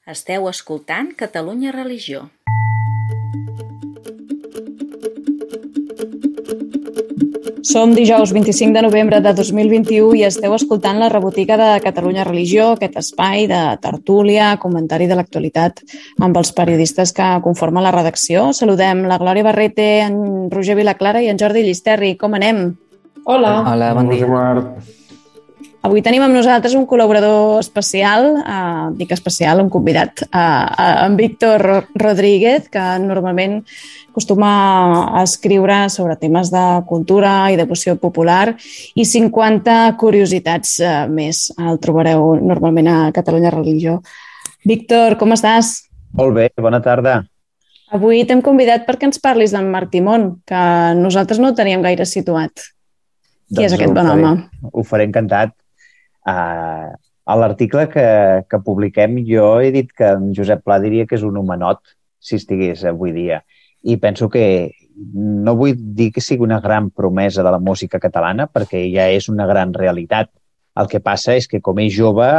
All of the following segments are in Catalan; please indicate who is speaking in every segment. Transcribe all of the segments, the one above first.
Speaker 1: Esteu escoltant Catalunya Religió.
Speaker 2: Som dijous 25 de novembre de 2021 i esteu escoltant la rebotiga de Catalunya Religió, aquest espai de tertúlia, comentari de l'actualitat amb els periodistes que conformen la redacció. Saludem la Glòria Barrete, en Roger Vilaclara i en Jordi Llisterri. Com anem?
Speaker 3: Hola.
Speaker 4: Hola, bon dia.
Speaker 2: Avui tenim amb nosaltres un col·laborador especial, dic especial, un convidat, en Víctor Rodríguez, que normalment acostuma a escriure sobre temes de cultura i devoció popular i 50 curiositats més. El trobareu normalment a Catalunya Religió. Víctor, com estàs?
Speaker 4: Molt bé, bona tarda.
Speaker 2: Avui t'hem convidat perquè ens parlis d'en Marc Timón, que nosaltres no el teníem gaire situat. Qui és aquest bon home?
Speaker 4: Ho faré encantat. A l'article que publiquem jo he dit que en Josep Pla diria que és un homenot si estigués avui dia, i penso que no vull dir que sigui una gran promesa de la música catalana perquè ja és una gran realitat. El que passa és que com és jove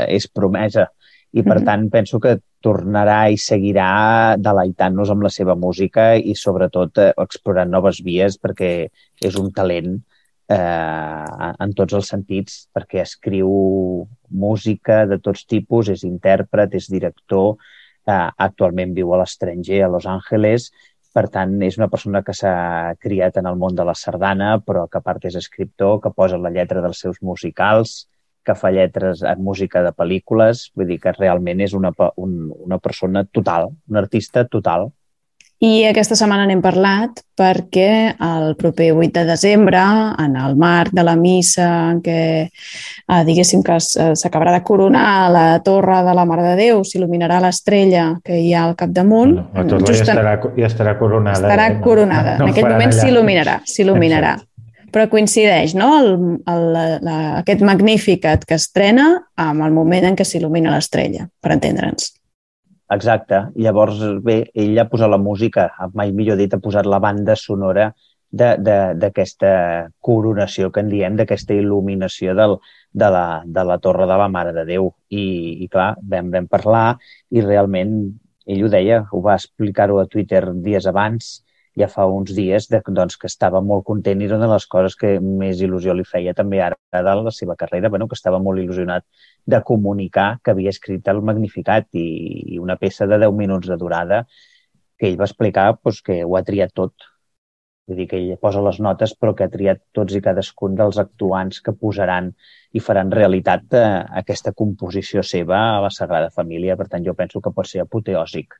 Speaker 4: és promesa i per tant penso que tornarà i seguirà deleitant-nos amb la seva música i sobretot explorant noves vies perquè és un talent en tots els sentits, perquè escriu música de tots tipus, és intèrpret, és director, actualment viu a l'estranger, a Los Angeles, per tant és una persona que s'ha criat en el món de la sardana, però que a part és escriptor, que posa la lletra dels seus musicals, que fa lletres en música de pel·lícules, vull dir que realment és una persona total, un artista total.
Speaker 2: I aquesta setmana n'hem parlat perquè el proper 8 de desembre, en el marc de la missa en què diguéssim que s'acabarà de coronar la torre de la Mare de Déu, s'il·luminarà l'estrella que hi ha al capdamunt.
Speaker 3: La torre ja estarà coronada.
Speaker 2: Estarà coronada. En aquell moment s'il·luminarà. Però coincideix, no?, aquest Magnificat que estrena amb el moment en què s'il·lumina l'estrella, per entendre'ns.
Speaker 4: Exacte. Llavors, bé, ell ha posat la música, mai millor dit, ha posat la banda sonora d'aquesta coronació que en diem, d'aquesta il·luminació de la Torre de la Mare de Déu. I clar, vam parlar i realment ell ho deia, ho va explicar-ho a Twitter dies abans, ja fa uns dies, doncs, que estava molt content i era una de les coses que més il·lusió li feia també ara de la seva carrera, que estava molt il·lusionat de comunicar que havia escrit el Magnificat i una peça de 10 minuts de durada que ell va explicar que ho ha triat tot. Vull dir que ell posa les notes però que ha triat tots i cadascun dels actuants que posaran i faran realitat aquesta composició seva a la Sagrada Família. Per tant, jo penso que pot ser apoteòsic.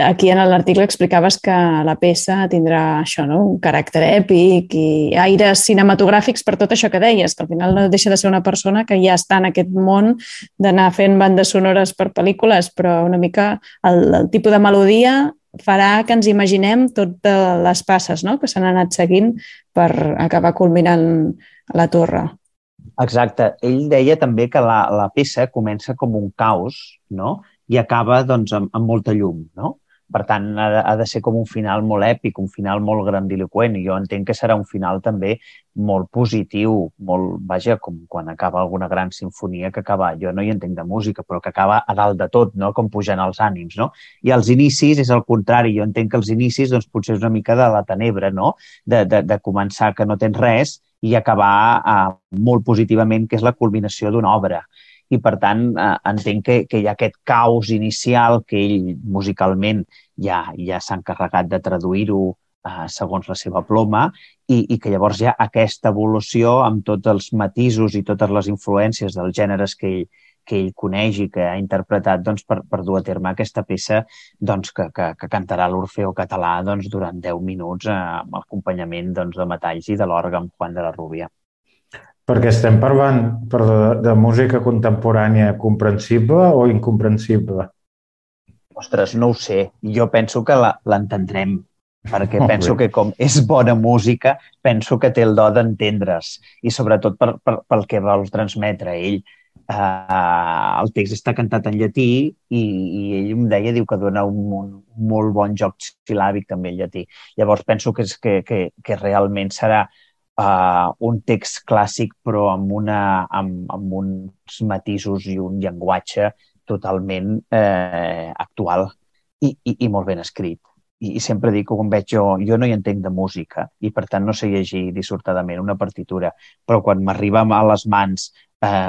Speaker 2: Aquí en l'article explicaves que la peça tindrà això, no?, un caràcter èpic i aires cinematogràfics per tot això que deies, que al final no deixa de ser una persona que ja està en aquest món d'anar fent bandes sonores per pel·lícules, però una mica el tipus de melodia farà que ens imaginem totes les passes, no?, que s'han anat seguint per acabar culminant la torre.
Speaker 4: Exacte. Ell deia també que la peça comença com un caos, no?, i acaba doncs, amb molta llum, no? Per tant, ha de ser com un final molt èpic, un final molt grandiloqüent, i jo entenc que serà un final també molt positiu, vaja, com quan acaba alguna gran sinfonia que acaba, jo no hi entenc de música, però que acaba a dalt de tot, no?, com pujant els ànims, no? I els inicis és el contrari, jo entenc que els inicis doncs, potser és una mica de la tenebra, no?, de començar que no tens res i acabar molt positivament, que és la culminació d'una obra. I, per tant, entenc que hi ha aquest caos inicial que ell musicalment ja s'ha encarregat de traduir-ho segons la seva ploma i que llavors hi ha aquesta evolució amb tots els matisos i totes les influències dels gèneres que ell coneix i que ha interpretat doncs, per dur a terme aquesta peça doncs, que cantarà l'Orfeó Català doncs, durant 10 minuts amb l'acompanyament doncs, de metalls i de l'òrgan Juan de la Rubia.
Speaker 3: Perquè estem parlant de música contemporània comprensible o incomprensible?
Speaker 4: Ostres, no ho sé. Jo penso que l'entendrem, perquè penso que com és bona música, penso que té el do d'entendre's, i sobretot pel que vol transmetre ell. El text està cantat en llatí i ell em deia, diu que dona un molt bon joc sil·làbic també en llatí. Llavors penso que realment serà un text clàssic però amb uns matisos i un llenguatge totalment actual i molt ben escrit. I sempre dic que quan veig jo no hi entenc de música i per tant no sé llegir dissortadament una partitura, però quan m'arriba a les mans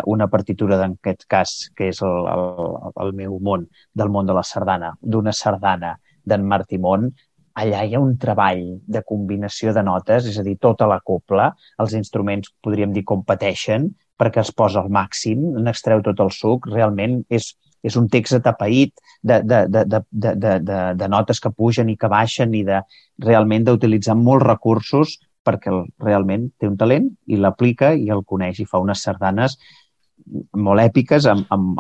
Speaker 4: una partitura en aquest cas, que és el meu món, del món de la sardana, d'una sardana d'en Martí Mont, allà hi ha un treball de combinació de notes, és a dir, tota la copla, els instruments podríem dir competeixen perquè es posa al màxim, n'extreu tot el suc, realment és un text atapeït de notes que pugen i que baixen i realment d'utilitzar molts recursos perquè realment té un talent i l'aplica i el coneix i fa unes sardanes molt èpiques amb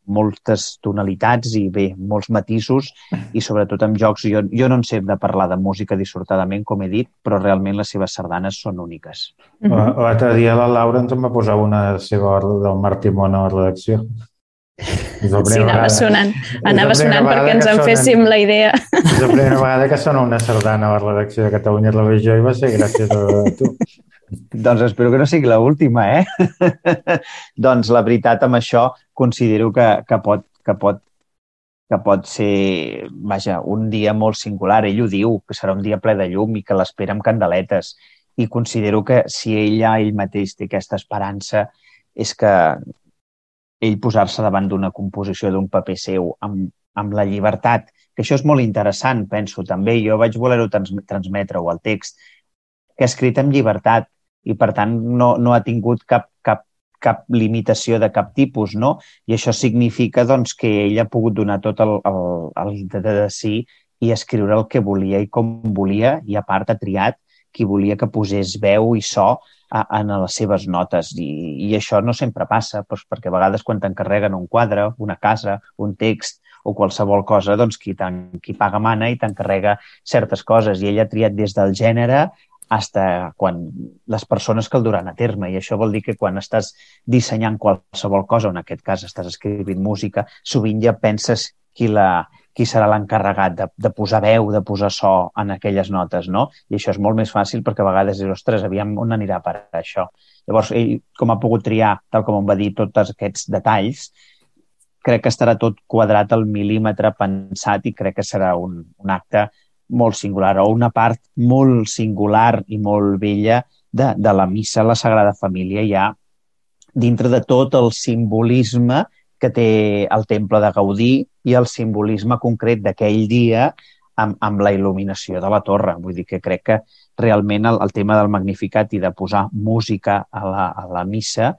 Speaker 4: moltes tonalitats i bé, molts matisos i sobretot amb jocs. Jo no en sé de parlar de música dissortadament, com he dit, però realment les seves sardanes són úniques.
Speaker 3: L'altre dia la Laura ens va posar una seva del Martí Mont a la redacció.
Speaker 2: Sí, anava sonant perquè ens en féssim la idea.
Speaker 3: És la primera vegada que sona una sardana a la redacció de Catalunya Televisió i va ser gràcies a tu.
Speaker 4: Doncs espero que no sigui l'última, Doncs la veritat, amb això considero que pot ser, vaja, un dia molt singular. Ell ho diu, que serà un dia ple de llum i que l'espera amb candeletes. I considero que si ell mateix té aquesta esperança és que ell posar-se davant d'una composició d'un paper seu amb la llibertat, que això és molt interessant, penso, també. Jo vaig voler-ho transmetre-ho al text, que ha escrit amb llibertat i, per tant, no ha tingut cap limitació de cap tipus, no? I això significa doncs, que ell ha pogut donar tot el de si i escriure el que volia i com volia, i a part ha triat qui volia que posés veu i so en les seves notes. I això no sempre passa, doncs, perquè a vegades quan t'encarreguen un quadre, una casa, un text o qualsevol cosa, doncs qui paga mana i t'encarrega certes coses. I ell ha triat des del gènere fins les persones que el duran a terme. I això vol dir que quan estàs dissenyant qualsevol cosa, o en aquest cas estàs escrivint música, sovint ja penses qui serà l'encarregat de posar veu, de posar so en aquelles notes, no? I això és molt més fàcil perquè a vegades dius, ostres, aviam on anirà per això. Llavors, ell, com ha pogut triar, tal com em va dir, tots aquests detalls, crec que estarà tot quadrat al mil·límetre pensat i crec que serà un acte molt singular o una part molt singular i molt bella de la missa a la Sagrada Família, ja dintre de tot el simbolisme que té el temple de Gaudí i el simbolisme concret d'aquell dia amb la il·luminació de la torre. Vull dir que crec que realment el tema del Magnificat i de posar música a la missa,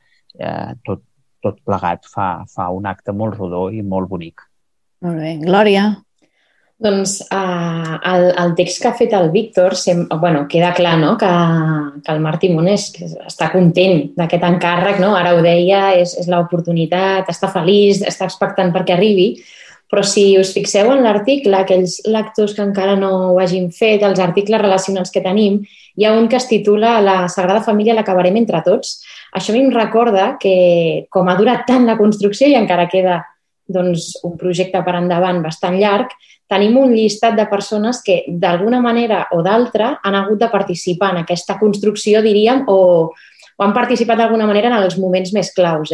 Speaker 4: tot plegat fa un acte molt rodó i molt bonic.
Speaker 2: Molt bé. Glòria?
Speaker 5: Doncs el text que ha fet el Víctor, queda clar, no?, que el Martí Mont està content d'aquest encàrrec, no? Ara ho deia, és l'oportunitat, està feliç, està expectant perquè arribi, però si us fixeu en l'article, aquells lectors que encara no ho hagin fet, els articles relacionals que tenim, hi ha un que es titula La Sagrada Família l'acabarem entre tots. Això a mi em recorda que, com ha durat tant la construcció i encara queda un projecte per endavant bastant llarg, tenim un llistat de persones que d'alguna manera o d'altra han hagut de participar en aquesta construcció, diríem, o han participat d'alguna manera en els moments més claus.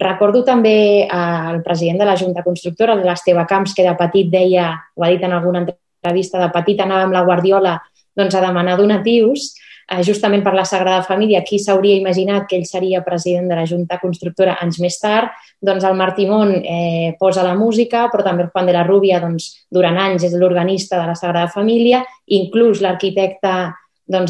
Speaker 5: Recordo també el president de la Junta Constructora, l'Esteve Camps, que de petit deia, ho ha dit en alguna entrevista, de petit anava amb la Guardiola a demanar donatius, justament per la Sagrada Família. Qui s'hauria imaginat que ell seria president de la Junta Constructora anys més tard? Doncs el Martí Mont posa la música, però també el Juan de la Rubia durant anys és l'organista de la Sagrada Família, inclús l'arquitecte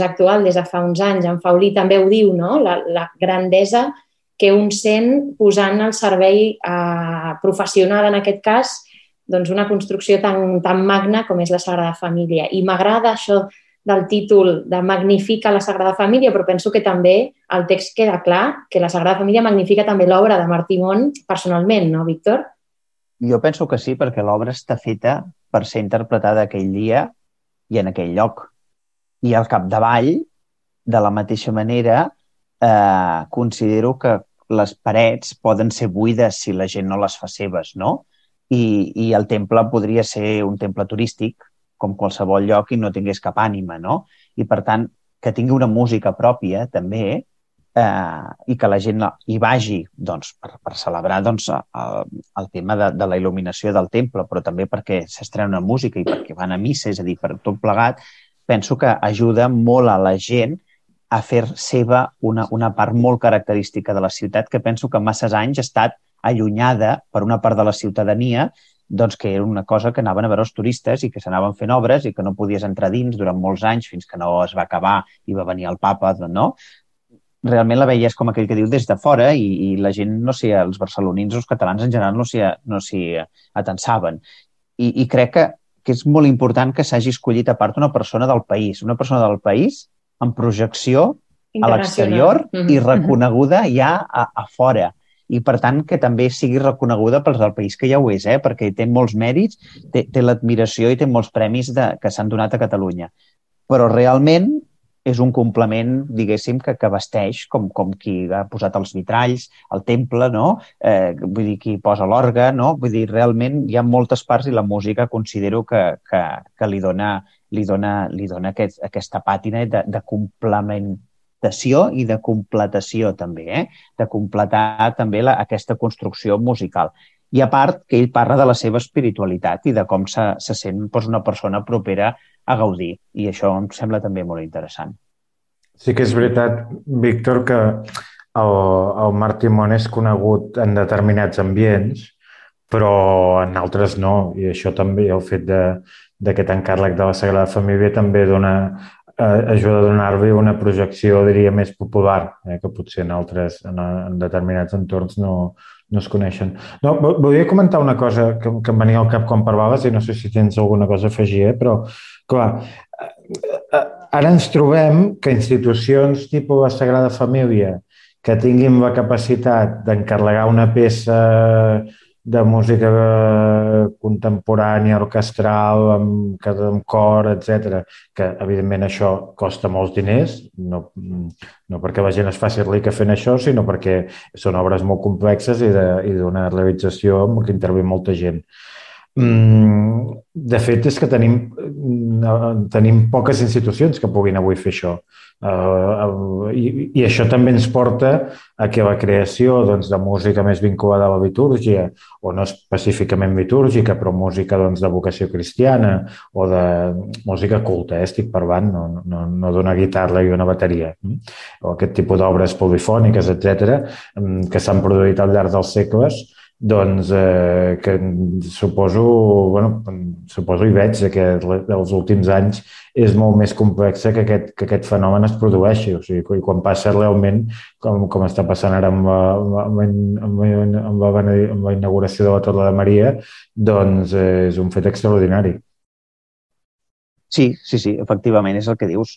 Speaker 5: actual des de fa uns anys, en Faulí, també ho diu, no? La grandesa que un sent posant al servei professional, en aquest cas, una construcció tan magna com és la Sagrada Família. I m'agrada això del títol de Magnifica la Sagrada Família, però penso que també el text queda clar que la Sagrada Família magnifica també l'obra de Martí Mont personalment, no, Víctor?
Speaker 4: Jo penso que sí, perquè l'obra està feta per ser interpretada aquell dia i en aquell lloc. I al capdavall, de la mateixa manera, considero que les parets poden ser buides si la gent no les fa seves, no? I el temple podria ser un temple turístic, com qualsevol lloc, i no tingués cap ànima, no? I, per tant, que tingui una música pròpia, també, i que la gent hi vagi doncs, per celebrar doncs, el tema de la il·luminació del temple, però també perquè s'estrena una música i perquè van a missa, és a dir, per tot plegat, penso que ajuda molt a la gent a fer seva una part molt característica de la ciutat que penso que massa anys ha estat allunyada per una part de la ciutadania, doncs que era una cosa que anaven a veure els turistes i que s'anaven fent obres i que no podies entrar dins durant molts anys fins que no es va acabar i va venir el papa, no? Realment la veies com aquell que diu des de fora i la gent, no sé, els barcelonins o els catalans en general no s'hi atensaven. I crec que és molt important que s'hagi escollit a part una persona del país amb projecció a l'exterior i reconeguda ja a fora. I, per tant, que també sigui reconeguda pels del país, que ja ho és, perquè té molts mèrits, té l'admiració i té molts premis que s'han donat a Catalunya. Però realment és un complement, diguéssim, que vesteix com qui ha posat els vitralls, el temple, no? Vull dir, qui posa l'orgue, no? Vull dir, realment hi ha moltes parts i la música considero que li dona aquesta pàtina de complementació i de completació també, de completar també aquesta construcció musical. I a part que ell parla de la seva espiritualitat i de com se sent una persona propera a gaudir. I això em sembla també molt interessant.
Speaker 3: Sí que és veritat, Víctor, que el Marc Timón és conegut en determinats ambients, però en altres no. I això també, el fet d'aquest encàrrec de la Sagrada Família també ajuda a donar-li una projecció, diria, més popular, que potser en determinats entorns no es coneixen. No, volia comentar una cosa que em venia al cap quan parlaves i no sé si tens alguna cosa a afegir, però, clar, ara ens trobem que institucions tipus la Sagrada Família que tinguin la capacitat d'encarregar una peça de música contemporània, orquestral, amb cor, etc., que evidentment això costa molts diners, no perquè la gent es faci rica fent això, sinó perquè són obres molt complexes i d'una realització en què intervé molta gent. De fet, és que tenim poques institucions que puguin avui fer això. I això també ens porta a que la creació de música més vinculada a la litúrgia, o no específicament litúrgica, però música de vocació cristiana o de música culta, estic parlant, no d'una guitarra i una bateria, o aquest tipus d'obres polifòniques, etc., que s'han produït al llarg dels segles, doncs que suposo i veig que els últims anys és molt més complex que aquest fenomen es produeixi. O sigui, quan passa realment, com està passant ara amb la inauguració de la Torre de Maria, doncs és un fet extraordinari.
Speaker 4: Sí, efectivament, és el que dius.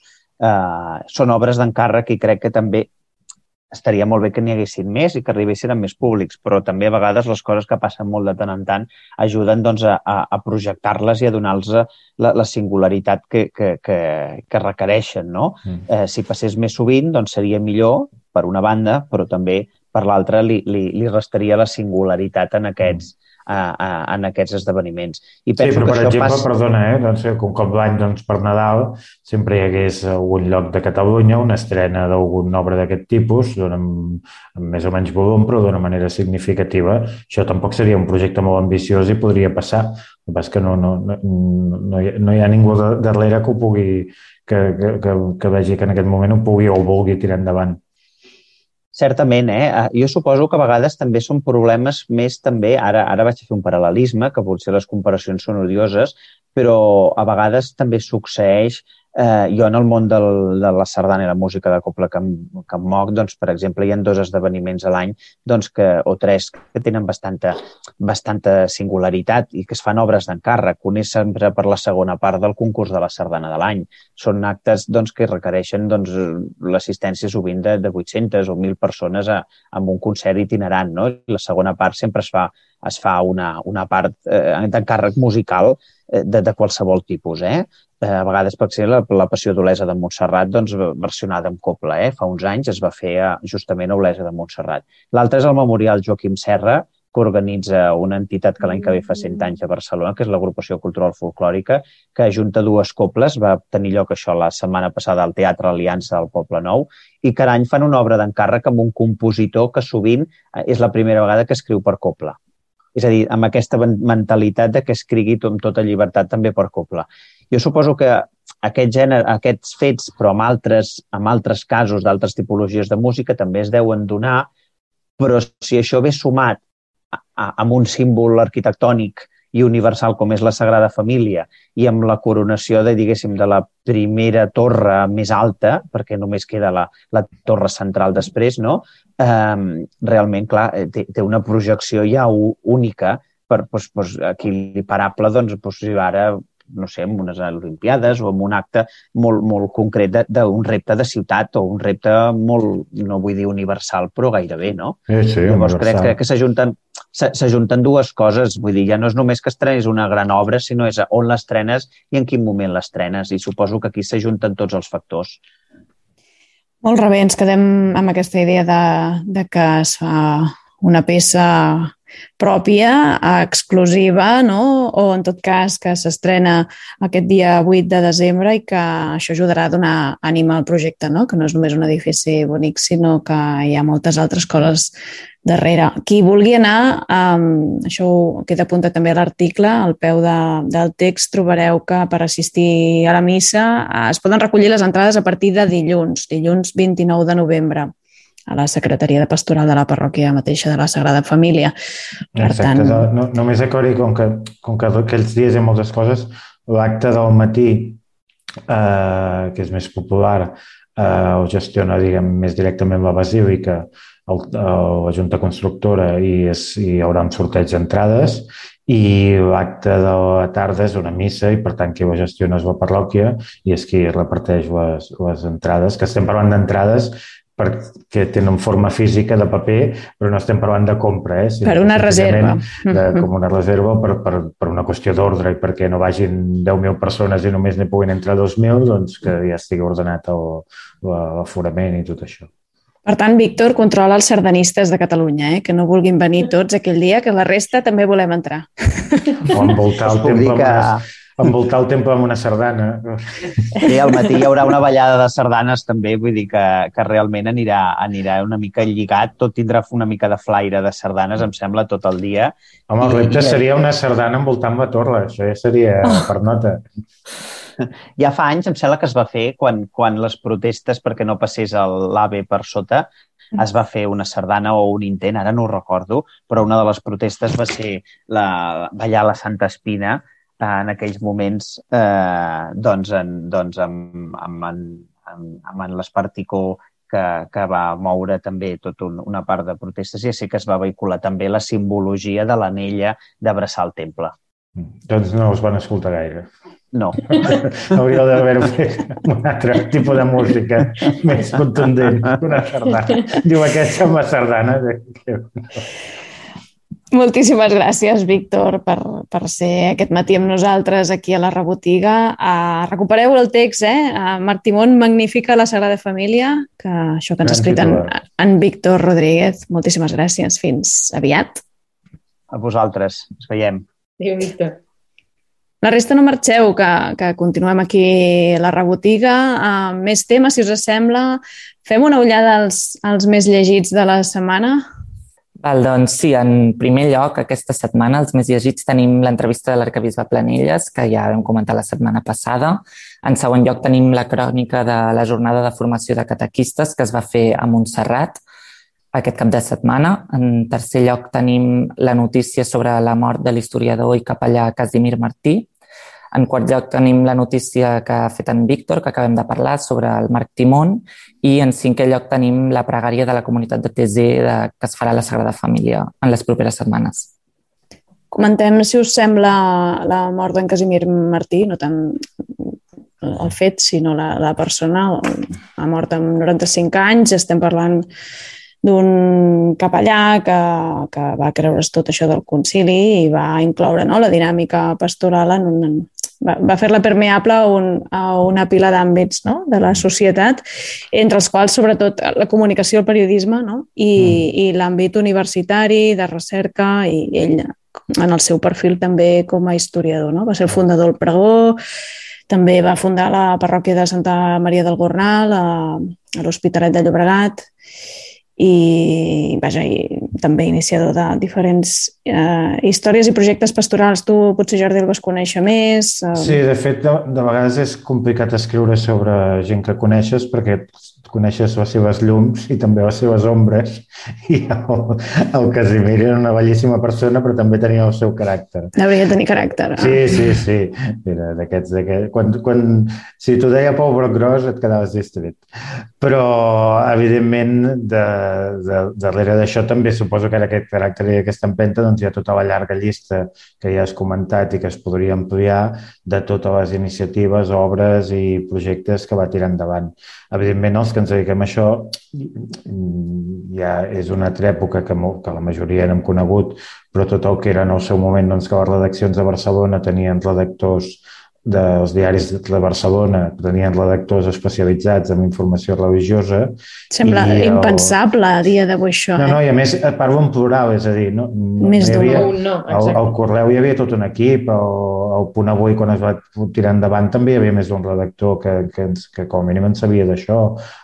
Speaker 4: Són obres d'encàrrec i crec que també estaria molt bé que n'hi haguessin més i que arribessin a més públics, però també a vegades les coses que passen molt de tant en tant ajuden a projectar-les i a donar-los la singularitat que requereixen, no? Si passés més sovint, doncs seria millor, per una banda, però també per l'altra li restaria la singularitat en aquests esdeveniments. I penso
Speaker 3: però,
Speaker 4: que
Speaker 3: per exemple, perdona, com l'any per Nadal sempre hi hagués algun lloc de Catalunya, una estrena d'alguna obra d'aquest tipus, amb més o menys volum, però d'una manera significativa. Això tampoc seria un projecte molt ambiciós i podria passar. El que passa és que no hi ha ningú darrere que ho pugui, que vegi que en aquest moment ho pugui o vulgui tirar endavant.
Speaker 4: Certament, jo suposo que a vegades també són problemes més també, ara vaig a fer un paral·lelisme, que potser les comparacions són odioses, però a vegades també succeeix, jo en el món de la sardana i la música de cobla que em moc, doncs, per exemple, hi ha 2 esdeveniments a l'any o 3 que tenen bastanta singularitat i que es fan obres d'encàrrec. Un és sempre per la segona part del concurs de la sardana de l'any. Són actes que requereixen l'assistència sovint de 800 o 1.000 persones amb un concert itinerant, no? La segona part sempre es fa una part d'encàrrec musical de qualsevol tipus, A vegades, per exemple, la Passió d'Olesa de Montserrat, versionada en cobla, Fa uns anys es va fer justament a Olesa de Montserrat. L'altre és el Memorial Joaquim Serra, que organitza una entitat que l'any que ve fa 100 anys a Barcelona, que és l'Agrupació Cultural Folclòrica, que ajunta dues cobles. Va tenir lloc això la setmana passada al Teatre Aliança del Poble Nou, i cada any fan una obra d'encàrrec amb un compositor que sovint és la primera vegada que escriu per cobla. És a dir, amb aquesta mentalitat de que escrigui amb tota llibertat també per cobla. Jo suposo que aquests fets, però amb altres casos d'altres tipologies de música, també es deuen donar, però si això ve sumat amb un símbol arquitectònic i universal com és la Sagrada Família i amb la coronació de la primera torre més alta, perquè només queda la torre central després, no? Realment, clar, té una projecció ja única per equiparable, ara, no sé, en unes Olimpiades o en un acte molt concret d'un repte de ciutat o un repte molt, no vull dir universal, però gairebé, no?
Speaker 3: Sí,
Speaker 4: llavors crec que s'ajunten dues coses, vull dir, ja no és només que estrenis una gran obra, sinó és on l'estrenes i en quin moment l'estrenes, i suposo que aquí s'ajunten tots els factors.
Speaker 2: Molt bé, ens quedem amb aquesta idea de que es fa una peça pròpia, exclusiva, no? O en tot cas que s'estrena aquest dia 8 de desembre i que això ajudarà a donar ànima al projecte, no? Que no és només un edifici bonic, sinó que hi ha moltes altres coses darrere. Qui vulgui anar, això queda apuntat també a l'article, al peu del text trobareu que per assistir a la missa es poden recollir les entrades a partir de dilluns 29 de novembre, a la Secretaria de Pastoral de la parròquia mateixa de la Sagrada Família. Per
Speaker 3: Exacte, tant... només aclarir, com que aquells dies hi ha moltes coses, l'acte del matí, que és més popular, ho gestiona, més directament la Basílica, la Junta Constructora, i hi haurà un sorteig d'entrades, i l'acte de la tarda és una missa i, per tant, qui ho gestiona és la parròquia i és qui reparteix les entrades, que estem parlant d'entrades perquè tenen forma física de paper, però no estem parlant de compra,
Speaker 2: per una reserva.
Speaker 3: Com una reserva per una qüestió d'ordre i perquè no vagin 10.000 persones i només n'hi puguin entrar 2.000, doncs que ja estigui ordenat l'aforament i tot això.
Speaker 2: Per tant, Víctor, controla els sardanistes de Catalunya, que no vulguin venir tots aquell dia, que la resta també volem entrar.
Speaker 3: O envoltar el temple amb una sardana.
Speaker 4: Sí, al matí hi haurà una ballada de sardanes també, vull dir que realment anirà una mica lligat, tot tindrà una mica de flaire de sardanes, em sembla, tot el dia.
Speaker 3: Home, el repte seria una sardana envoltant la torre, això ja seria per nota.
Speaker 4: Ja fa anys, em sembla que es va fer, quan les protestes perquè no passés l'AVE per sota, es va fer una sardana o un intent, ara no ho recordo, però una de les protestes va ser ballar la Santa Espina en aquells moments amb l'Esparticó que va moure també tota una part de protestes, i sí que es va vehicular també la simbologia de l'anella d'abraçar el temple.
Speaker 3: Doncs no us van escoltar gaire.
Speaker 4: No.
Speaker 3: Hauríeu d'haver-ho fet un altre tipus de música més contundent, una sardana. Diu, aquesta és la sardana.
Speaker 2: Moltíssimes gràcies, Víctor, per ser aquest matí amb nosaltres aquí a la Rebotiga. Recupereu el text, Martimon magnifica la Sagrada Família, que això que ens ha escrit en Víctor Rodríguez. Moltíssimes gràcies. Fins aviat.
Speaker 4: A vosaltres. Ens veiem.
Speaker 5: Adéu, Víctor.
Speaker 2: La resta no marxeu, que continuem aquí a la Rebotiga. Més temes, si us sembla. Fem una ullada als més llegits de la setmana.
Speaker 6: Doncs sí, en primer lloc, aquesta setmana, els més llegits, tenim l'entrevista de l'arquebisbe Planelles, que ja vam comentar la setmana passada. En segon lloc, tenim la crònica de la jornada de formació de catequistes que es va fer a Montserrat aquest cap de setmana. En tercer lloc, tenim la notícia sobre la mort de l'historiador i capellà Casimir Martí. En quart lloc tenim la notícia que ha fet en Víctor, que acabem de parlar, sobre el Marc Timón. I en cinquè lloc tenim la pregària de la comunitat de TZ que es farà a la Sagrada Família en les properes setmanes.
Speaker 2: Comentem, si us sembla, la mort d'en Casimir Martí, no tant el fet, sinó la persona. Ha mort amb 95 anys, estem parlant d'un capellà que va creure's tot això del concili i va incloure la dinàmica pastoral en va fer-la permeable a una pila d'àmbits, no?, de la societat, entre els quals sobretot la comunicació, el periodisme, no?, i l'àmbit universitari, de recerca, i ell en el seu perfil també com a historiador, no? Va ser el fundador del Pregó, també va fundar la parròquia de Santa Maria del Gornal a l'Hospitalet de Llobregat i també iniciador de diferents històries i projectes pastorals. Tu potser, Jordi, el vas conèixer més?
Speaker 3: Sí, de fet, de vegades és complicat escriure sobre gent que coneixes perquè coneixes les seves llums i també les seves ombres, i el Casimir era una bellíssima persona però també tenia el seu caràcter.
Speaker 2: Hauria de tenir caràcter.
Speaker 3: Sí. Era d'aquests. Si t'ho deia Pau Brocgros et quedaves distret. Però, evidentment, darrere d'això també suposo que era aquest caràcter i aquesta empenta, doncs hi ha tota la llarga llista que ja has comentat i que es podria ampliar de totes les iniciatives, obres i projectes que va tirar endavant. Evidentment, els que ens dediquem a això ja és una altra època que la majoria n'hem conegut, però tot el que era en el seu moment, doncs, que les redaccions de Barcelona tenien redactors dels diaris de Barcelona, tenien redactors especialitzats en informació religiosa.
Speaker 2: Sembla impensable a dia d'avui això.
Speaker 3: No, i a més parlo en plural, és a dir,
Speaker 2: més d'un.
Speaker 3: Al Correu hi havia tot un equip, al Punt Avui, quan es va tirar endavant, també hi havia més d'un redactor que com a mínim en sabia d'això.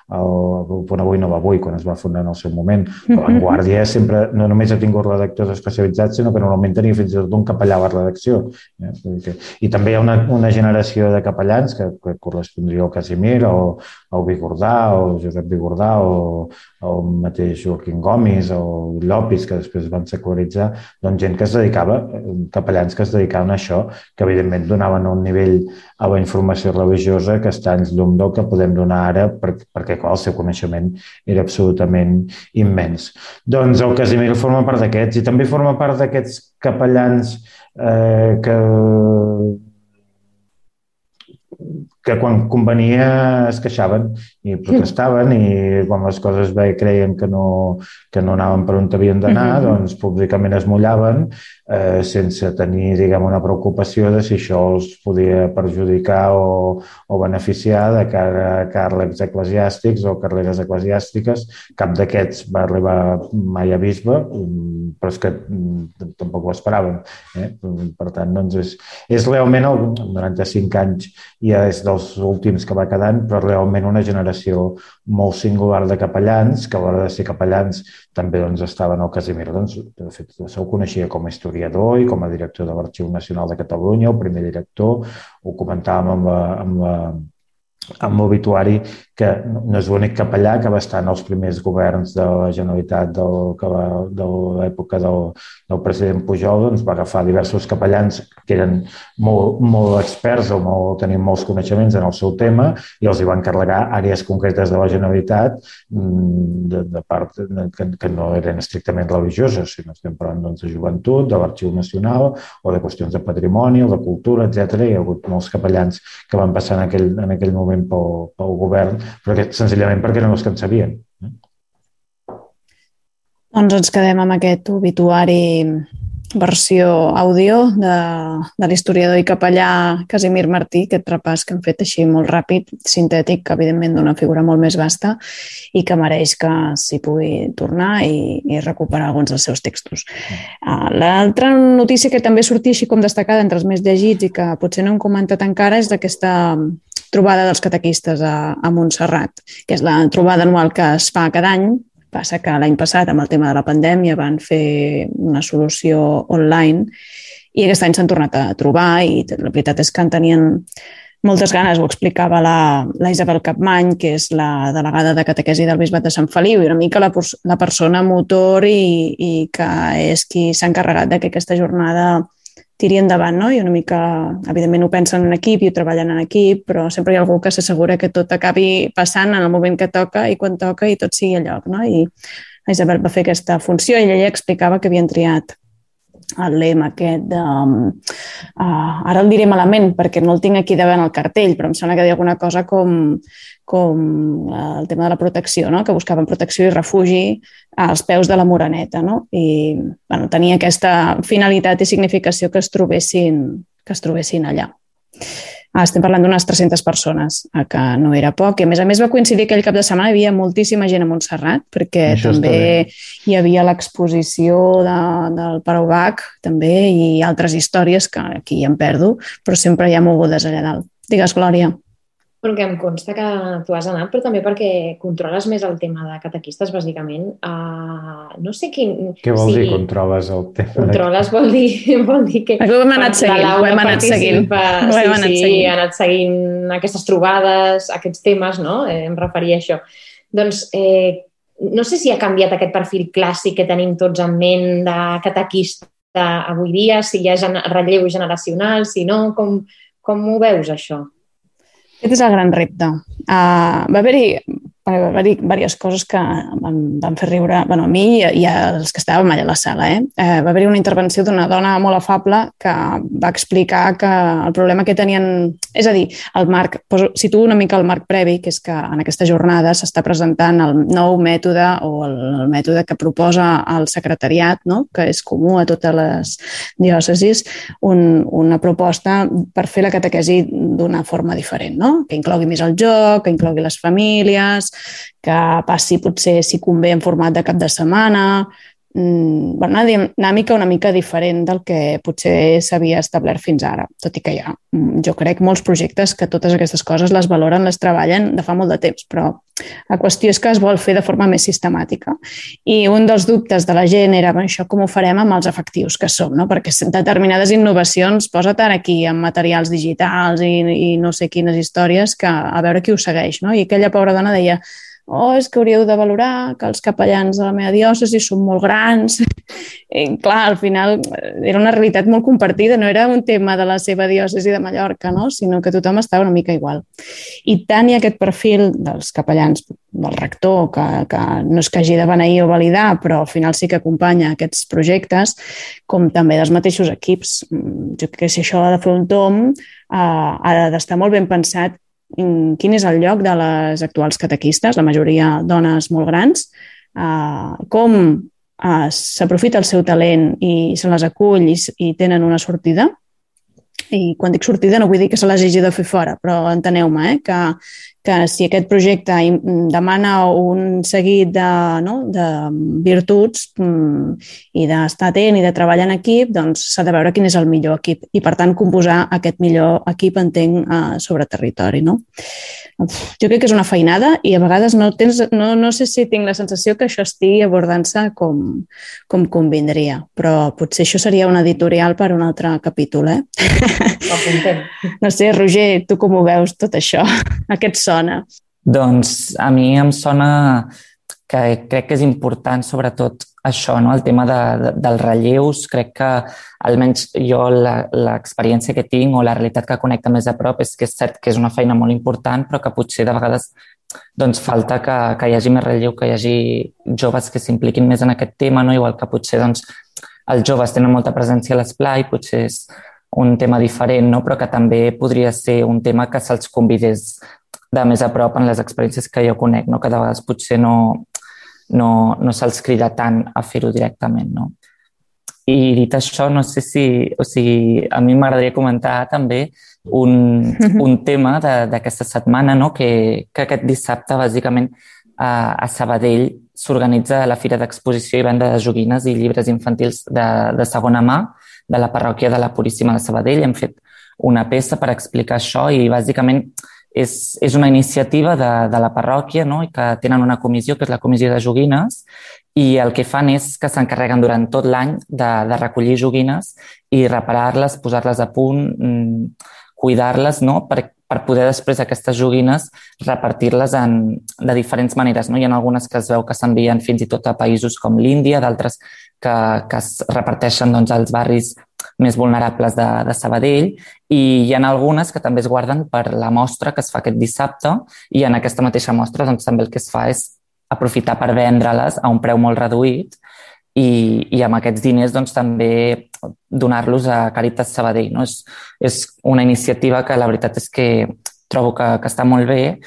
Speaker 3: El Punt Avui no va avui, quan es va fundar en el seu moment. La Vanguardia sempre no només ha tingut redactors especialitzats, sinó que normalment tenia fins i tot un capellà a la redacció. I també hi ha una generació de capellans que correspondria al Casimir, o al Vigordà, o Josep Vigordà, o el mateix Joaquim Gomis, o Llopis, que després van secularitzar, doncs gent que es dedicava, capellans que es dedicaven a això, que evidentment donaven un nivell a la informació religiosa que està en llum del que podem donar ara, perquè el seu coneixement era absolutament immens. Doncs el Casimir forma part d'aquests, i també forma part d'aquests capellans que quan convenia es queixaven i protestaven, i quan les coses creien que no anaven per on havien d'anar, doncs públicament es mullaven sense tenir, diguem, una preocupació de si això els podia perjudicar o beneficiar de cara a càrrecs eclesiàstics o carreres eclesiàstiques. Cap d'aquests va arribar mai a bisbe, però és que tampoc ho esperaven. Per tant, doncs és realment, 95 anys ja és dels últims que va quedant, però realment una generació molt singular de capellans, que a l'hora de ser capellans també estaven al Casimir. De fet, se'l coneixia com a historiador i com a director de l'Arxiu Nacional de Catalunya, el primer director. Ho comentàvem amb l'obituari, que no és l'únic capellà que va estar en els primers governs de la Generalitat de l'època del president Pujol. Doncs va agafar diversos capellans que eren molt experts o tenien molts coneixements en el seu tema, i els hi van encarregar àrees concretes de la Generalitat de part que no eren estrictament religioses, sinó estem parlant de joventut, de l'Arxiu Nacional, o de qüestions de patrimoni o de cultura, etc. Hi ha hagut molts capellans que van passar en aquell moment pel govern, però senzillament perquè eren els que en sabien.
Speaker 2: Doncs ens quedem amb aquest obituari versió àudio de l'historiador i capellà Casimir Martí, aquest repàs que hem fet així molt ràpid, sintètic, que evidentment d'una figura molt més vasta i que mereix que s'hi pugui tornar i recuperar alguns dels seus textos. L'altra notícia que també sortia així com destacada entre els més llegits i que potser no hem comentat encara és d'aquesta trobada dels catequistes a Montserrat, que és la trobada anual que es fa cada any. Passa que l'any passat, amb el tema de la pandèmia, van fer una solució online i aquest any s'han tornat a trobar, i la veritat és que en tenien moltes ganes. Ho explicava la Isabel Capmany, que és la delegada de catequesi del Bisbat de Sant Feliu, i una mica la persona motor i que és qui s'ha encarregat de que aquesta jornada tiri endavant, no? I una mica, evidentment, ho pensen en equip i ho treballen en equip, però sempre hi ha algú que s'assegura que tot acabi passant en el moment que toca i quan toca i tot sigui a lloc, no? I la Isabel va fer aquesta funció i ella explicava que havien triat el lema aquest de... ara el diré malament perquè no el tinc aquí davant el cartell, però em sembla que deia alguna cosa com el tema de la protecció, no? Que buscaven protecció i refugi als peus de la Moreneta, no? I tenia aquesta finalitat i significació que es trobessin allà. Estem parlant d'unes 300 persones, que no era poc. I a més va coincidir aquell cap de setmana, hi havia moltíssima gent a Montserrat, perquè
Speaker 3: Això
Speaker 2: també hi havia l'exposició del Pare Ubach, també, i altres històries que aquí em perdo, però sempre hi ha mogudes allà dalt. Digues, Glòria.
Speaker 5: Bueno, que em consta que tu has anat, però també perquè controles més el tema de catequistes, bàsicament. No sé quin...
Speaker 3: Què vol dir controles el tema?
Speaker 5: Controles vol dir que...
Speaker 2: Ho hem anat seguint, ho hem anat seguint.
Speaker 5: Sí, he anat seguint aquestes trobades, aquests temes, no? Em referia a això. Doncs no sé si ha canviat aquest perfil clàssic que tenim tots en ment de catequista avui dia, si hi ha relleu generacional, si no, com ho veus, això?
Speaker 2: Aquest és el gran repte. Va haver-hi diverses coses que van fer riure, bueno, a mi i als que estàvem allà a la sala. Va haver-hi una intervenció d'una dona molt afable que va explicar que el problema que tenien... És a dir, el marc, situo una mica el marc previ, que és que en aquesta jornada s'està presentant el nou mètode o el mètode que proposa el secretariat, no? Que és comú a totes les diòcesis, una proposta per fer la catequesi d'una forma diferent, no? Que inclogui més el joc, que inclogui les famílies, que passi potser, si convé, en format de cap de setmana, una dinàmica una mica diferent del que potser s'havia establert fins ara, tot i que hi ha, jo crec, molts projectes que totes aquestes coses les valoren, les treballen de fa molt de temps, però la qüestió és que es vol fer de forma més sistemàtica. I un dels dubtes de la gent era això com ho farem amb els efectius que som, no? Perquè determinades innovacions, posa't ara aquí amb materials digitals i no sé quines històries, que a veure qui ho segueix, no? I aquella pobra dona deia: és que hauríeu de valorar que els capellans de la meva diòcesi són molt grans. I clar, al final era una realitat molt compartida, no era un tema de la seva diòcesi de Mallorca, no? Sinó que tothom estava una mica igual. I tant hi ha aquest perfil dels capellans, del rector, que no és que hagi de beneir o validar, però al final sí que acompanya aquests projectes, com també dels mateixos equips. Jo crec que si això ha de fer un tomb, ha d'estar molt ben pensat quin és el lloc de les actuals catequistes, la majoria dones molt grans, com s'aprofita el seu talent i se les acull i tenen una sortida. I quan dic sortida no vull dir que se les hagi de fer fora, però enteneu-me, que si aquest projecte demana un seguit de virtuts i d'estar atent i de treballar en equip, doncs s'ha de veure quin és el millor equip i, per tant, composar aquest millor equip, entenc, sobre territori, no? Jo crec que és una feinada i a vegades no sé si tinc la sensació que això estigui abordant-se com convindria, però potser això seria un editorial per un altre capítol, No sé, Roger, tu com ho veus tot això? A què et sona?
Speaker 6: Doncs a mi em sona que crec que és important sobretot això, no? El tema dels relleus. Crec que almenys jo l'experiència que tinc o la realitat que connecta més a prop és que és cert que és una feina molt important, però que potser de vegades doncs, falta que hi hagi més relleu, que hi hagi joves que s'impliquin més en aquest tema, no? Igual que potser doncs, els joves tenen molta presència a l'esplai, potser és un tema diferent, no? Però que també podria ser un tema que se'ls convidés de més a prop en les experiències que jo conec, no? Que de vegades potser no se'ls crida tant a fer-ho directament, no? I dit això, no sé si... O sigui, a mi m'agradaria comentar també un tema d'aquesta setmana, no? Que aquest dissabte, bàsicament, a Sabadell s'organitza la Fira d'Exposició i Venda de Joguines i Llibres Infantils de segona mà de la parròquia de la Puríssima de Sabadell. Hem fet una peça per explicar això i bàsicament és una iniciativa de la parròquia, no? I que tenen una comissió, que és la Comissió de Joguines, i el que fan és que s'encarreguen durant tot l'any de recollir joguines i reparar-les, posar-les a punt, cuidar-les, no? Per poder després aquestes joguines repartir-les de diferents maneres, no? Hi ha algunes que es veu que s'envien fins i tot a països com l'Índia, d'altres que es reparteixen doncs, als barris més vulnerables de Sabadell, i hi ha algunes que també es guarden per la mostra que es fa aquest dissabte, i en aquesta mateixa mostra doncs, també el que es fa és aprofitar per vendre-les a un preu molt reduït i amb aquests diners doncs, també donar-los a Càritas Sabadell, no? És una iniciativa que la veritat és que trobo que està molt bé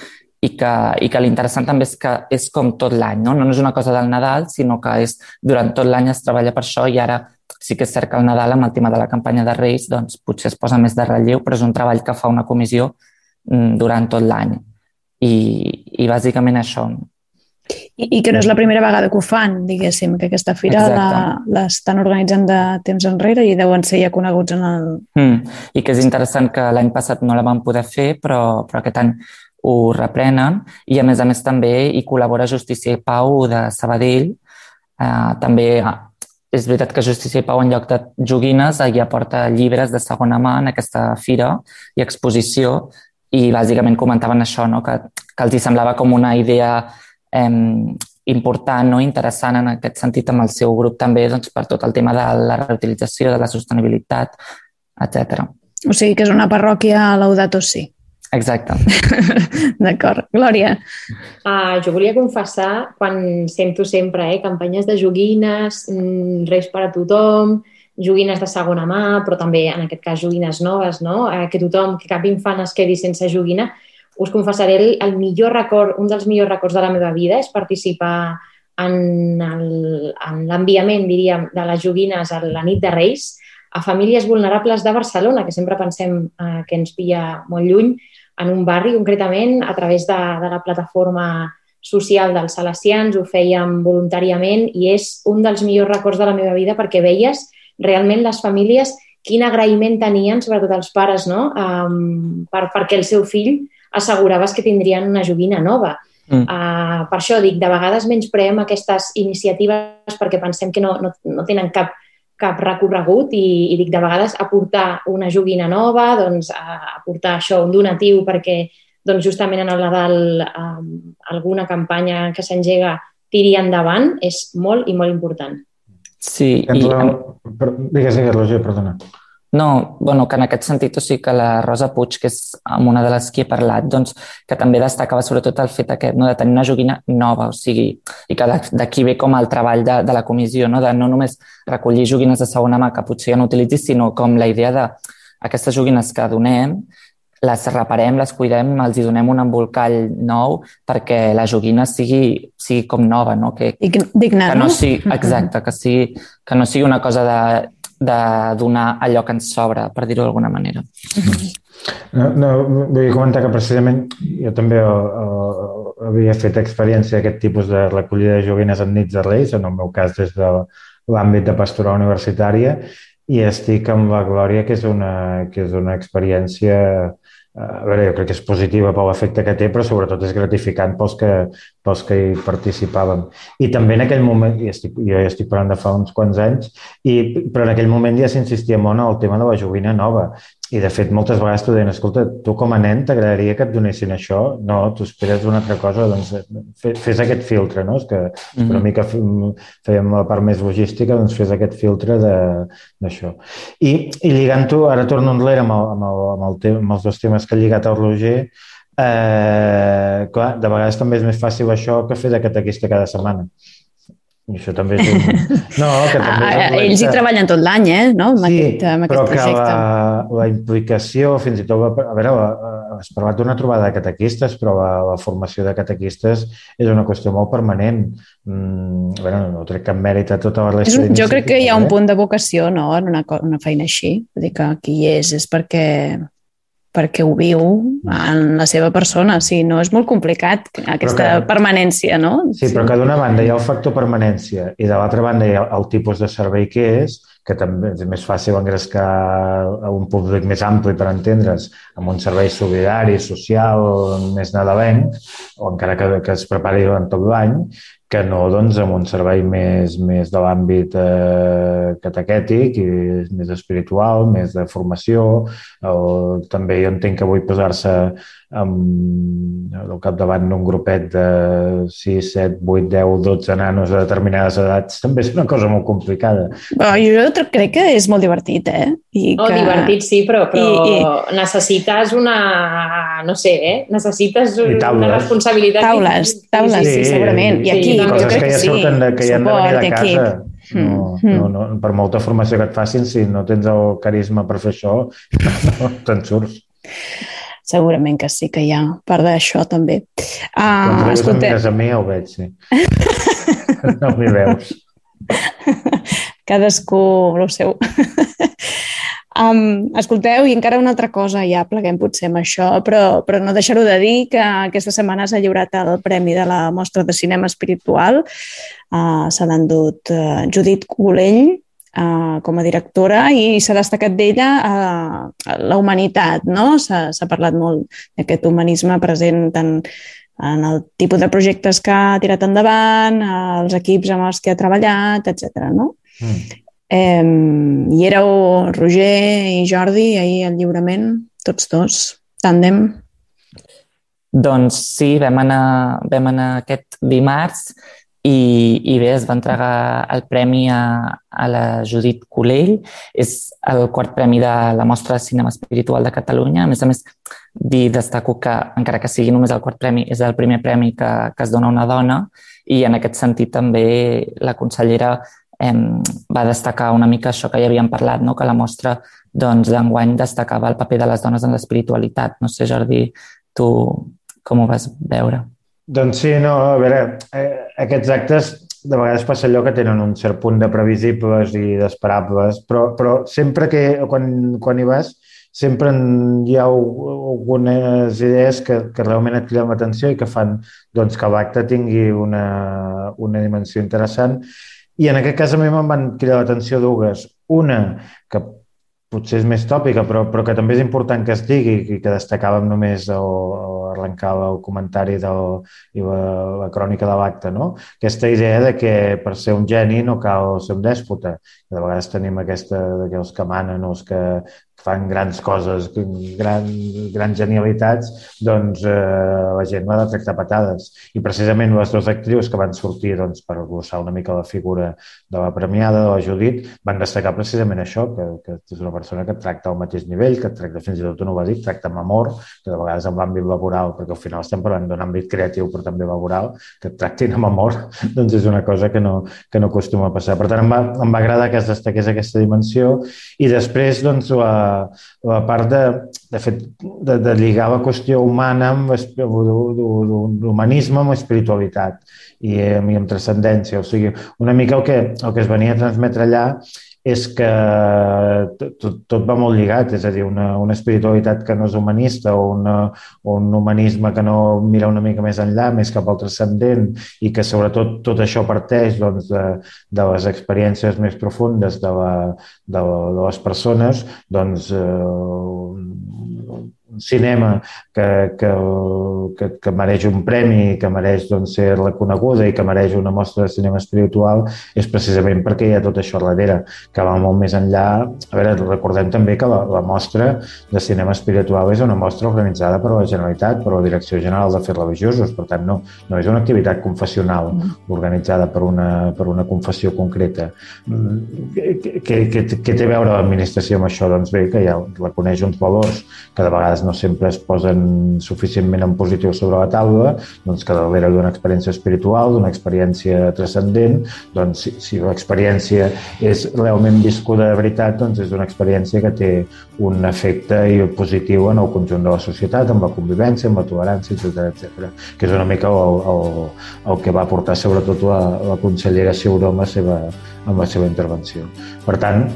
Speaker 6: i que l'interessant també és que és com tot l'any, no? No és una cosa del Nadal, sinó que durant tot l'any es treballa per això i ara Sí que és cert que al Nadal, amb el tema de la campanya de Reis, doncs potser es posa més de relleu, però és un treball que fa una comissió durant tot l'any. I bàsicament això.
Speaker 2: I que no és la primera vegada que ho fan, diguéssim, que aquesta fira l'estan organitzant de temps enrere i deuen ser ja coneguts en el...
Speaker 6: I que és interessant que l'any passat no la van poder fer, però aquest any ho reprenen i a més també hi col·labora Justícia i Pau de Sabadell. També és veritat que Justícia i Pau en lloc de joguines ja porta llibres de segona mà en aquesta fira i exposició i bàsicament comentaven això, no? que els hi semblava com una idea important, no? Interessant en aquest sentit amb el seu grup també doncs, per tot el tema de la reutilització, de la sostenibilitat, etc.
Speaker 2: O sigui que és una parròquia Laudato Si.
Speaker 6: Exacte.
Speaker 2: D'acord. Glòria?
Speaker 5: Jo volia confessar, quan sento sempre campanyes de joguines, Reis per a tothom, joguines de segona mà, però també en aquest cas joguines noves, no? Que cap infant es quedi sense joguina. Us confessaré el millor record, un dels millors records de la meva vida és participar en l'enviament, diríem, de les joguines a la nit de Reis a famílies vulnerables de Barcelona, que sempre pensem que ens pilla molt lluny, en un barri concretament, a través de la plataforma social dels Salesians, ho fèiem voluntàriament i és un dels millors records de la meva vida perquè veies realment les famílies quin agraïment tenien, sobretot els pares, no? Perquè el seu fill asseguraves que tindrien una joguina nova. Per això dic, de vegades menyspreem aquestes iniciatives perquè pensem que no tenen cap recorregut i dic, de vegades aportar una joguina nova, doncs aportar això, un donatiu perquè doncs, justament en el Nadal alguna campanya que s'engega tiri endavant és molt i molt important.
Speaker 6: Sí.
Speaker 3: Digues, Roger, perdona.
Speaker 6: No, bueno, que en aquest sentit, o sigui que la Rosa Puig, que és una de les que he parlat, doncs, que també destacava sobretot el fet aquest, no, de tenir una joguina nova, o sigui, i que d'aquí ve com el treball de la comissió, no, de no només recollir joguines de segona mà que potser ja no utilitzis, sinó com la idea d'aquestes joguines que donem, les reparem, les cuidem, els hi donem un embolcall nou perquè la joguina sigui com nova, no?
Speaker 2: Digna,
Speaker 6: no? Exacte, que no sigui una cosa de donar allò que ens sobra, per dir-ho d'alguna manera.
Speaker 3: No, vull comentar que precisament jo també havia fet experiència d'aquest tipus de recollida de joguines en nits de Reis, en el meu cas des de l'àmbit de pastoral universitària, i estic amb la Glòria, que és una experiència, a veure, jo crec que és positiva per l'efecte que té, però sobretot és gratificant pels que hi participàvem. I també en aquell moment, jo ja estic parlant de fa uns quants anys, però en aquell moment ja s'insistia molt en el tema de la joguina nova. I, de fet, moltes vegades t'ho deien, escolta, tu com a nen t'agradaria que et donessin això? No, tu esperes una altra cosa, doncs fes aquest filtre, no? És que una mica fèiem la part més logística, doncs fes aquest filtre d'això. I lligant-ho, ara torno enrere amb els dos temes que ha lligat el Roger, clar, de vegades també és més fàcil això que fer de catequista cada setmana. I això també és
Speaker 2: ells hi treballen tot l'any, no?
Speaker 3: Amb aquest projecte. La implicació, fins i tot, a veure, has parlat d'una trobada de catequistes, però la formació de catequistes és una qüestió molt permanent. A veure, no trec cap mèrit a tota la resta d'iniciatives.
Speaker 2: Jo crec que hi ha un punt de vocació, no?, en una feina així. Vull dir que qui hi és perquè ho viu en la seva persona. O sigui, no és molt complicat aquesta permanència, no?
Speaker 3: Sí, però que d'una banda hi ha el factor permanència i de l'altra banda hi ha el tipus de servei que és, que també és més fàcil engrescar a un públic més ampli, per entendre's, amb un servei solidari, social, més nadalenc, o encara que es prepari durant tot l'any, que no, doncs, amb un servei més de l'àmbit catequètic i més espiritual, més de formació. També jo entenc que vull posar-se al capdavant d'un grupet de 6, 7, 8, 10, 12 nanos de determinades edats també és una cosa molt complicada.
Speaker 2: Jo crec que és molt divertit,
Speaker 5: Divertit sí, però necessites necessites una responsabilitat.
Speaker 2: Taules, sí, segurament. I aquí,
Speaker 3: coses que ja surten que ja han de venir de casa. No, per molta formació que et facin, si no tens el carisma per fer això, no te'n surts.
Speaker 2: Segurament que sí que hi ha part d'això també.
Speaker 3: Quan em mires a mi ja ho veig, sí. No m'hi veus.
Speaker 2: Cadascú el seu. Escolteu, i encara una altra cosa, ja pleguem potser amb això, però no deixar-ho de dir que aquesta setmana s'ha lliurat el premi de la Mostra de Cinema Espiritual. Se l'ha endut Judit Golell com a directora i s'ha destacat d'ella la humanitat, no? S'ha parlat molt d'aquest humanisme present tant en el tipus de projectes que ha tirat endavant, els equips amb els que ha treballat, etc. No? Hi éreu Roger i Jordi ahir al lliurament, tots dos, tàndem?
Speaker 6: Doncs sí, vam anar aquest dimarts i bé, es va entregar el premi a la Judit Golell. És el quart premi de la Mostra de Cinema Espiritual de Catalunya. A més, destaco que, encara que sigui només el quart premi, és el primer premi que es dona a una dona i en aquest sentit també la consellera va destacar una mica això que ja havíem parlat, no? Que la mostra d'enguany destacava el paper de les dones en l'espiritualitat. No sé, Jordi, tu com ho vas veure?
Speaker 3: Doncs sí, no, a veure, aquests actes de vegades passa allò que tenen un cert punt de previsibles i d'esperables, però sempre que, quan hi vas, sempre hi ha algunes idees que realment et criden l'atenció i que fan doncs, que l'acte tingui una dimensió interessant. I en aquest cas a mi me'n van cridar l'atenció dues. Una, que potser és més tòpica, però que també és important que es digui i que destacàvem només arrencar el comentari i la crònica de l'acte, no? Aquesta idea de que per ser un geni no cal ser un dèspota. De vegades tenim aquesta que els que manen o els que fan grans coses, grans genialitats, doncs la gent l'ha de tractar patades. I precisament les dues actrius que van sortir per glossar una mica la figura de la premiada, de la Judit, van destacar precisament això, que és una persona que et tracta al mateix nivell, que et tracta fins i tot, no ho va dir, tracta amb amor, que de vegades en l'àmbit laboral, perquè al final estem parlant d'un àmbit creatiu però també laboral, que et tractin amb amor, doncs és una cosa que no acostuma a passar. Per tant, em va agradar que es destaqués aquesta dimensió i després, doncs, la part de lligar la qüestió humana amb l'humanisme amb l'espiritualitat i amb transcendència. O sigui, una mica el que es venia a transmetre allà és que tot va molt lligat, és a dir, una espiritualitat que no és humanista o un humanisme que no mira una mica més enllà, més cap al transcendent i que sobretot tot això parteix doncs, de les experiències més profundes de les persones, doncs un cinema que mereix un premi, que mereix doncs, ser reconeguda i que mereix una mostra de cinema espiritual és precisament perquè hi ha tot això darrere, que va molt més enllà. A veure, recordem també que la mostra de cinema espiritual és una mostra organitzada per la Generalitat, per la Direcció General d'Afers Religiosos, per tant no és una activitat confessional organitzada per una confessió concreta. Què té a veure l'administració amb això? Doncs bé, que ja reconeix uns valors que de vegades no sempre es posen suficientment en positiu sobre la taula, doncs que darrere d'una experiència espiritual, d'una experiència transcendent, doncs si l'experiència és realment viscuda de veritat, doncs és una experiència que té un efecte positiu en el conjunt de la societat, amb la convivència, amb la tolerància, etc. Que és una mica el que va portar sobretot la consellera Ciuró amb la seva intervenció. Per tant,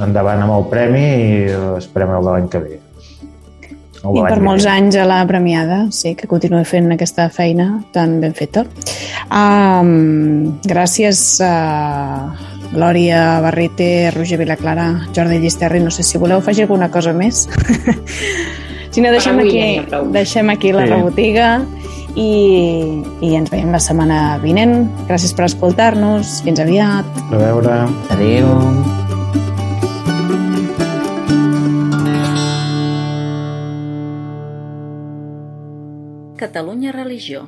Speaker 3: endavant amb el premi i esperem el de l'any que ve.
Speaker 2: I per molts anys a la premiada, sí, que continuï fent aquesta feina tan ben feta. Gràcies a Glòria Barrite, Roger Vilaclara, Jordi Llisterri. No sé si voleu afegir alguna cosa més. Si no, deixem aquí la rebotiga i ens veiem la setmana vinent. Gràcies per escoltar-nos. Fins aviat.
Speaker 3: A veure.
Speaker 6: Adéu.
Speaker 1: Catalunya Religió.